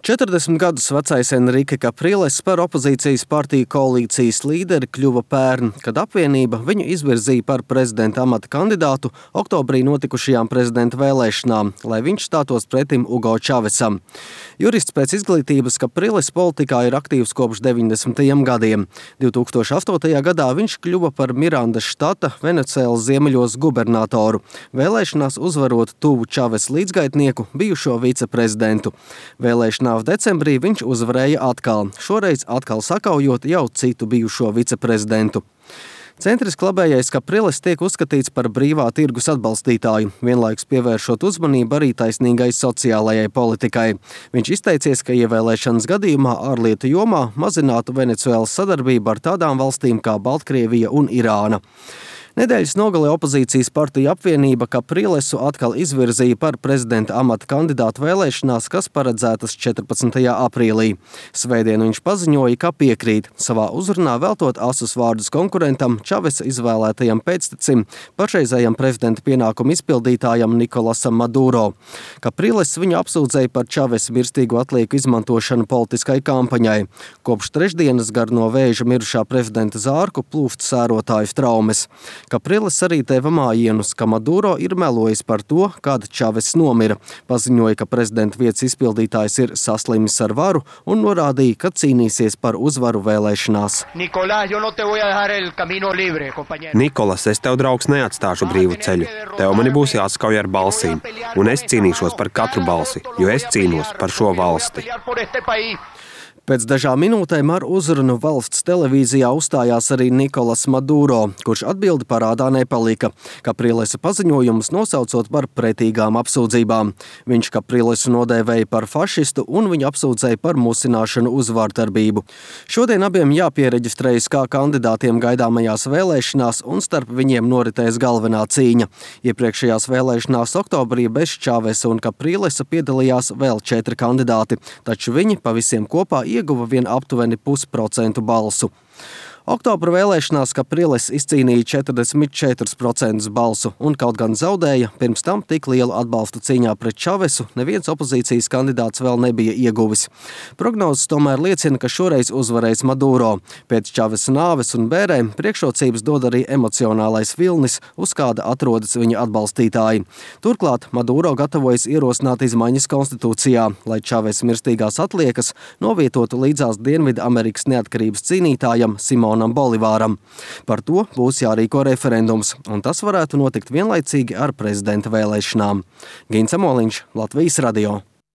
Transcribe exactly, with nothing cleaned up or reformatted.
četrdesmit gadus vecais Enrike Capriles par opozīcijas partiju koalīcijas līderi kļuva pērn, kad apvienība viņu izvirzīja par prezidenta amata kandidātu oktobrī notikušajām prezidenta vēlēšanām, lai viņš stātos pretim Ugo Čavesam. Jurists pēc izglītības Capriles politikā ir aktīvs kopš deviņdesmitajiem gadiem. divi tūkstoši astotajā gadā viņš kļuva par Mirandas štata Venecuēlas ziemeļos gubernatoru, vēlēšanās uzvarot tuvu Čavesa līdzgaitnieku, bijušo viceprezidentu. Vēlēšanās decembrī viņš uzvarēja atkal, šoreiz atkal sakaujot jau citu bijušo viceprezidentu. Centriski labējais Capriles tiek uzskatīts par brīvā tirgus atbalstītāju, vienlaikus pievēršot uzmanību arī taisnīgai sociālajai politikai. Viņš izteicies, ka ievēlēšanas gadījumā ārlietu jomā mazinātu Venecuēlas sadarbību ar tādām valstīm kā Baltkrievija un Irāna. Nedēļas nogalē opozīcijas partija apvienība Caprilesu atkal izvirzīja par prezidenta amata kandidātu vēlēšanās, kas paredzētas četrpadsmitajā aprīlī. Svētdien viņš paziņoja, ka piekrīt, savā uzrunā veltot asus vārdus konkurentam, Čavesa izvēlētajam pēctecim, pašreizējam prezidenta pienākumu izpildītājam Nikolasam Maduro. Capriles viņu apsūdzēja par Čavesa mirstīgu atlieku izmantošanu politiskai kampaņai. Kopš trešdienas gar no vēža mirušā prezidenta zārku plūst sērotāju traumas. Capriles arī deva mājienus, ka Maduro ir melojis par to, kad Čavess nomira. Paziņoja, ka prezidenta vietas izpildītājs ir saslimis ar varu un norādīja, ka cīnīsies par uzvaru vēlēšanās. Nikolas, es tev, draugs, neatstāšu brīvu ceļu. Tev mani būs jāskauj ar balsīm, un es cīnīšos par katru balsi, jo es cīnos par šo valsti. Pēc dažām minūtēm ar uzrunu valsts televīzijā uzstājās arī Nikolas Maduro, kurš atbildi parādā nepalika, Caprilesa paziņojumus nosaucot par pretīgām apsūdzībām. Viņš Caprilesu nodēvēja par fašistu un viņu apsūdzēja par musināšanu uz vārdarbību. Šodien abiem jāpiereģistrējas kā kandidātiem gaidāmajās vēlēšanās un starp viņiem noritēs galvenā cīņa. Iepriekšējās vēlēšanās oktobrī bez Čavesa un Caprilesa piedalījās vēl četri kandidāti, taču viņi pa visiem kopā ieguva vien aptuveni pusprocentu balsu. Oktobra vēlēšanās Capriles izcīnīja četrdesmit četrus procentus balsu un kaut gan zaudēja, pirms tam tik lielu atbalstu cīņā pret Čavesu neviens opozīcijas kandidāts vēl nebija ieguvis. Prognozes tomēr liecina, ka šoreiz uzvarēs Maduro. Pēc Čavesa nāves un bērēm priekšrocības dod arī emocionālais vilnis, uz kāda atrodas viņa atbalstītāji. Turklāt Maduro gatavojas ierosināt izmaiņas konstitūcijā, lai Čavesa mirstīgās atliekas novietotu līdzās Dienvidu Amerikas neatkarības cīnītājam Simonam Bolivāram. Par to būs jārīko referendums, un tas varētu notikt vienlaicīgi ar prezidenta vēlēšanām. Gins Amoliņš, Latvijas radio.